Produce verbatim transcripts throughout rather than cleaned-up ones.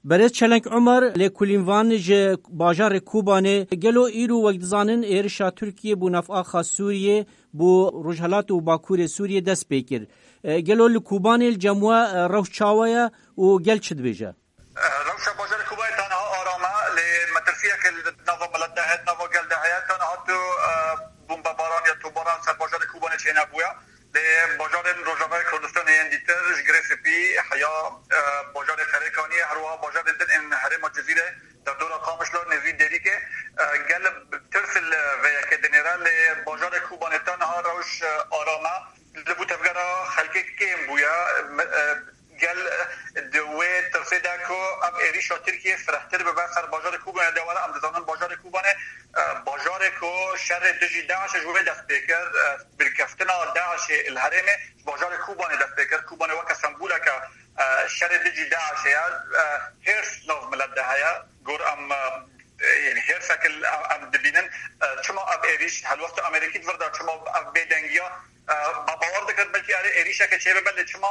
Berêz Çeleng Omer, lêkolînvan ji bajarê Kobanê, gelo îro wek dizanin êrişa Tirkiyê bo nav axa Sûriyê, bo rojhelat û bakurê Sûriyê dest pê kir. E, gelo li Kobanê li cem we, e, rewş çawa ye û gel çi dibêje? Rewşa bajarê Kobanê ta niha aram e, lê metirsiyeke li nava milet de heye, nava gel de heye, ta niha tu, e, bombebaran ya topbaran ser bajarê Kobanê çênebûye. Lê bajarên Rojavayê Kurdistanê yên dîtir ji Girê Spî heya, e, bajarê Serêkaniyê, her wiha bajarên din ên herêma Cizîrê, derdora Qamişlo, nêzî Dêrîkê, e, gel tirs li vê yekê dinêre, lê bajarê Kobanê ta niha rewş, e, aram e. Li bo tevgera xelkê kêm bûye. Me-, e, gel di wê tirsê de ku ev êrîşa Tirkiyê firehtir bibe ser bajarê Kobanê de were, em dizanin bajarê Kobanê, e, bajarê ku şerê dijî DAIŞê ji wê dest pê kir, e, birkeftina DAIŞê li herêmê ji bajarê Kobanê dest pê kir. Kobanê weke semboleke, e, şerê dijî DAIŞê ye. E, hêrs nav milet de heye. Gor em, e, yanî hêrsek em, em dibînin. E, çima ev êrîş helwesta Amerîkî di vir de, çima ev bêdengiya, e, me bawer dikir belkî erê êrîşeke çêbibe, lê çima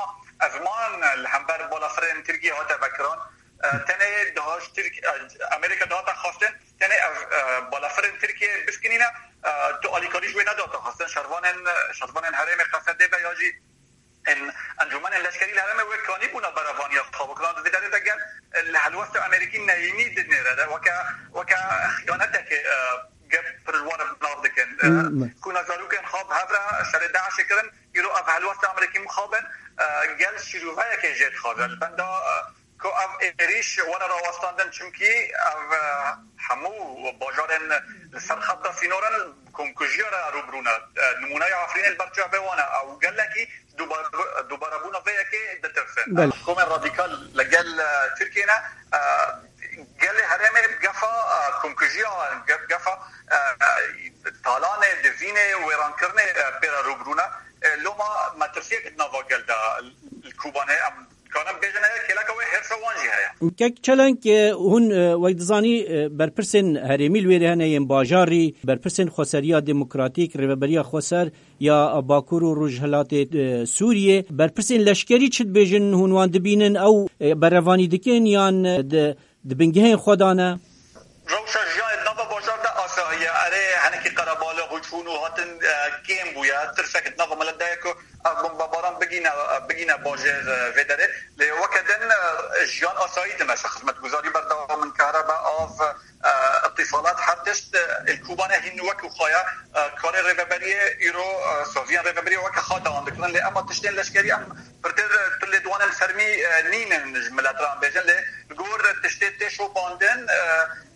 ezman li hember balafirên Tirkiyê hate vekiran? E, tenê daha ji Tirk-, e, Amerîka dihate xwestin, tenê ev, e, balafirên Tirkiyê biskinîne, e, tu alîkarî ji wê nedate xwestin. Şervanên, şervanên herêmê Qesedê be ya jî ên encûmenên leşkerî li herêmê wê kanî bûna berevaniya xwe bikirin. Di vê derê de gel, e, li helwesta Amerîkî neyînî dinêre de weke, weke xiyaneteke, e, gel pir ji wan re bi nav dikin. E, Hmm, me. Kuna zarokên xwe bi hev re şerê DAIŞê kirin, îro ev helwesta Amerîkî mixabin, e, gel şîroveyeke jê dixwaze. Li benda, e, ku ev êrîş were rawestandin, çimkî ev, e, hemû bajarên li ser xeta sînoran komkujiya re rûbirû ne. E, nimûneya Efrînê li ber çavê wan e. Ew gelekî dubar-, dubarebûna vê yekê ditirsin. Belê. Komên radîkal li gel, e, Tirkiyê ne. E, gelê herêmê gefa, e, komkujiya, ge-, gefa, e, talanê, divînê, wêrankirinê, e, pê re rûbirû ne. E, loma metirsiyek di nava gel de li Kobanê em Karin bêjin heye, kêleka wê hêrsa wan jî heye. Kek Çelenk, e, hûn, e, wek dizanî, e, berpirsên herêmî li wêrê hene yên bajarî, berpirsên xweseriya demokratîk, rêveberiya xweser ya Bakur û Rojhilatê, e, Sûriyê, berpirsên leşkerî çi dibêjin, hûn wan dibînin, ew, e, berevanî dikin yan, e, di, di bingehên xwe de ne? Rewşa jiyanê di nava bajar de asayî ye. Erê, hinekî qerebalix û çûn û hatin, e, kêm bûye. Tirsek di nava milet de ye ku ev bombebaran bigîne, bigîne bajêr, e, vê derê. Lê weke din, e, jiyan asayî dimeşe. Xizmetguzarî berdewam in, kehrebe, av, e, îtîsalat, her tişt, e, li Kobanê hîn wekî xwe ye. E, karê rêveberiyê îro, e, saziyên rêveberiyê weke xwe dewam dikirin. Lê ema tiştên leşkerî em pirtir, e, tu lê dwanên fermî, e, nînin ji milet re em bêjin. Lê li gor tiştê tê şopandin, e,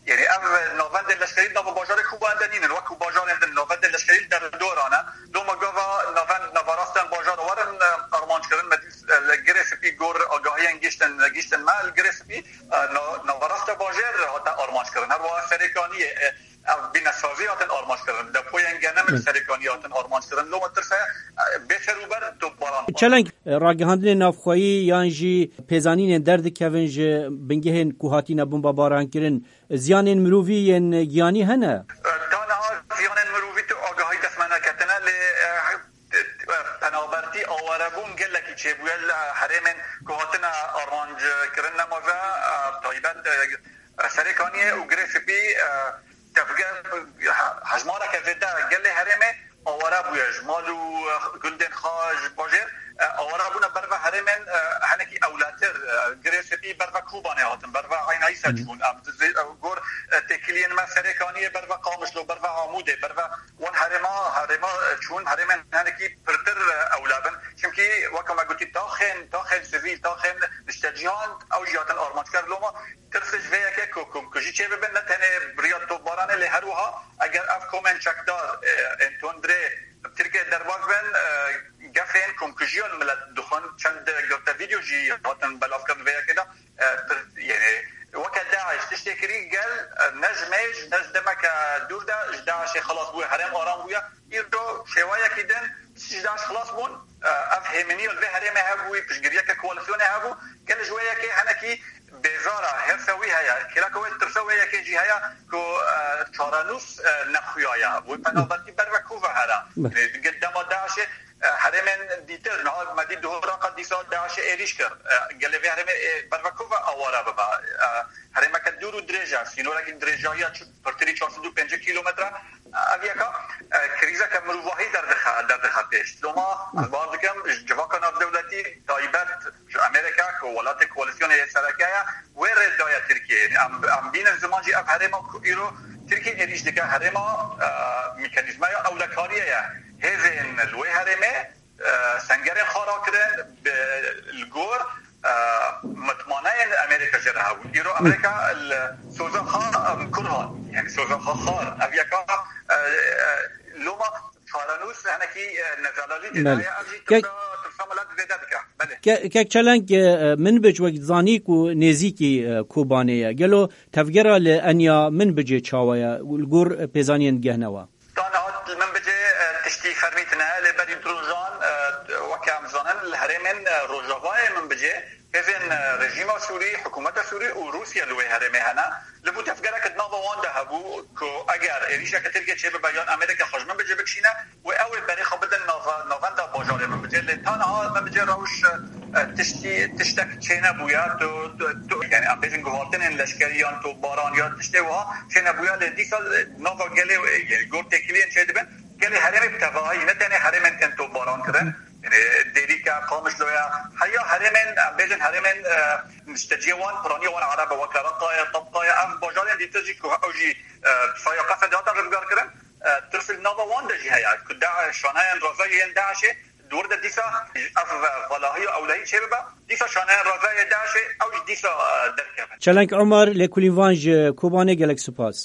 Yanî ev navendên leşkerî di nava bajarê Kobanê de nînin, wekî bajarên din navendên leşkerî li derdora ne. Loma gava navend, navarastên bajar werin, e, armanc kirin. Me dî, e, li Girê Spî gor agahiyên giştin, giştin me, li Girê Spî, e, na-, navarasta bajêr hate armanc kirin. Her wiha Serêkaniyê, e, ev bînesazî hatin armanc kirin. Depoyên genim li Serêkaniyê hatin armanc kirin. Loma tirse, e, bê serûber topbaran. Çeleng, e, ragihandinên navxweyî yan jî pêzanînên derdikevin ji bingehên ku hatine bombebarankirin, ziyanên mirovî yên giyanî hene? Ta niha ziyanên mirovî tu agahî dest me neketine, lê, eh, penabertî awarebûn gelekî çêbûye li herêmên ku hatine armanc kirin, nema ve, eh, taybet, eh, Serêkaniyê û Girê Spî, eh, tevger, he-, hejmareke zêde gelê herêmê aware bûye ji mal û, eh, gundên xwe ji bajêr, eh, aware bûne berve herêmên, eh, hinekî ewletir, eh, Girê Spî berve Kobanê hatin, berve Eyna Îsa çûn. Em di zê-, eh, gor, eh, têkiliyên me Serêkaniyê berve Qamişlo, berve Amûdê, berve wan herêma, herêma, eh, çûn, herêmên hinekî pirtir, eh, ewle bin. Çimkî weke me gotî taxên, taxên sivîl, taxên niştecîhan ew jî hatin armanckar. Loma Tirs ji vê yekê ku komkujî çêbibin, ne tenê bi riya topbaranê, lê her wiha eger ev komên çekdar, e, ên tundrê bi Tirkiyê derbas bin, e, gefên komkujiya li milet dixwin. Çend girtî vîdeo jî hatin belavkirin vê yekê de. E, pir, yanî weke DAIŞ tiştê kirî gel, e, ne ji mêj, ne ji demeke dûr de ji DAIŞê xilas bûye, herêm aram bûye. Îro şêweyekî din ji DAIŞ xilas bûn, e, ev hêmeniya li vê herêmê hebûyî, piştgiriyeke koalîsyonê hebû, gelê ji wê yekê hinekî bêzar e, hêrsa wî heye, kêleka wê, tirsa wê yekê jî heye ku, e, çarenûs, e, nexuya ye. Wê penabertî berve ku ve here. Yanî, gel dema DAIŞê, e, herêmên dîtir, niha me dî di Horaqa dî Sal DAIŞê êrîş kir. E, gelê vê herêmê, e, bervekova awara bibe. E, herêmeke dûr û dirêj e, sînorekî dirêjahiya çi-, pirtirî çar sed û pêncî kîlometre. E, ev yeka, e, krîzeke mirovahî derdixe, derdixe pêş. Loma ez bawer dikim, ji civaka navdewletî taybet ji Amerîka ku welatê koalîsyonê yê sereke ye, wê rê daye Tirkiyeyê. Em, em bînin ziman jî ev herêma ku îro Tirkiye êrîş dike, herêma, e, mekanîzmaya ewlekariyê ye. Hêzên li wê herêmê e, sengerên xwe rakirin, bi, li gor, e, mitmaneyên Amerîka jê re hebûn. Îro Amerîka li soza xwe, em, kurhan, yani soza xwe xar. Ev yeka, e, e, loma çarenûs henekî, e, nezelalî tê de Belê. Heye, ev jî Kek- tirsa, tirsa milet zêde dike. Belê. Ke-, Kek Çelenk, e, Minbic wek zanî ku nêzîkî, e, Kobanê ye. Gelo tevgera li Enya Minbicê çawa ye? Li gor pêzaniyên digehnewa? Tan hat li Minbicê, e, tiştî fermî tune, lê berî du rojan, e, weke em zanin, li herêmên, e, rojavayê Minbicê hêzên, e, rejîma Sûrî, hikûmeta Sûrî û Rûsya li wê herêmê hene. Li bo tevgereke di nava wan de hebû ku eger êrîşeke Tirkiye çêbibe yan Amerîka xwe ji Minbicê bikişîne, wê ew ê berê xwe bidin nava-, navenda bajarê Minbicê. Lê ta niha Minbicê rewş, e, tiştî, tiştek çênebûye. Tu, tu, tu, yani em bêjin guhartinên leşkerî yan topbaran ya tiştê wiha çênebûye. Lê dîsa, e, nava gelê, e, yani gor têkiliyên çêdibin, gelê herêmê bi tevahî, ne tenê herêmên tên topbaran kirin. Yani Dêrîk e, Qamişlo ye, heya herêmên, em bêjin herêmên, e, nişteciyê wan, piraniya wan erebe, weke Reqa ye, Tebqa ye, ev bajarên dîtir jî ku ew jî, e, saya Qesedê hatin rizgar kirin. E, tirs li nava wan de jî heye ku DAIŞ, şaneyên razayê yên DAIŞê di wir de dîsa ev, e, valahiya ewlehî çêbibe, dîsa şaneyên razayê DAIŞê ew jî dîsa, e, derkevin. Çelenk Omer, lêkolîn van ji Kobanê, gelek spas.